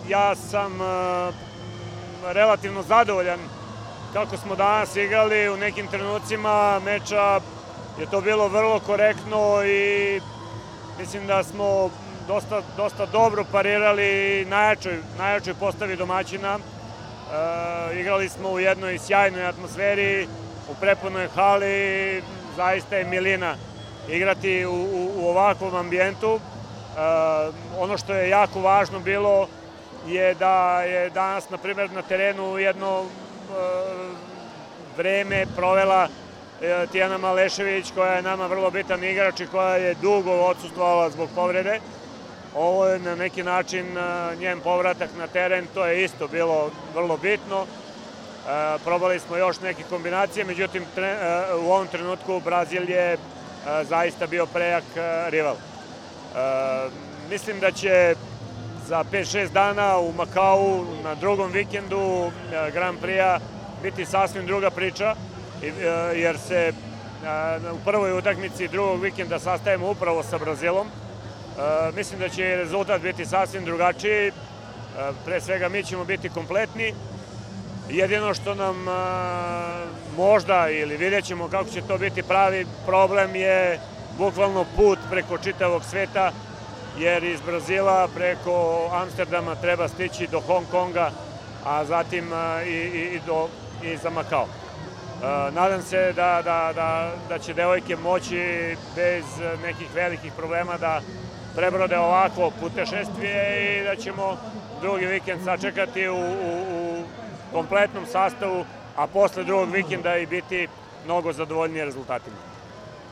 Ja sam relativno zadovoljan kako smo danas igrali. U nekim trenucima meča je to bilo vrlo korektno i mislim da smo dosta dobro parirali najjačoj postavi domaćina. Igrali smo u jednoj sjajnoj atmosferi, u prepunoj hali, zaista je milina igrati u ovakvom ambijentu. Ono što je jako važno bilo je da je danas, na primjer, na terenu jedno vreme provela Tijana Malešević, koja je nama vrlo bitan igrač i koja je dugo odsustvovala zbog povrede. Ovo je na neki način njen povratak na teren, to je isto bilo vrlo bitno. Probali smo još neke kombinacije, međutim u ovom trenutku Brazil je zaista bio prejak rival. Mislim da će za 5-6 dana u Makau na drugom vikendu Grand Prix-a biti sasvim druga priča, jer se u prvoj utakmici drugog vikenda sastajemo upravo sa Brazilom. Mislim da će rezultat biti sasvim drugačiji. Pre svega mi ćemo biti kompletni. Jedino što nam možda, ili vidjet ćemo kako će to biti pravi problem, je bukvalno put preko čitavog sveta, jer iz Brazila preko Amsterdama treba stići do Hong Konga, a zatim i za Makao. Nadam se da će devojke moći bez nekih velikih problema da prebrode ovakvo putešestvije i da ćemo drugi vikend sačekati u kompletnom sastavu, a posle drugog vikenda i biti mnogo zadovoljniji rezultatima.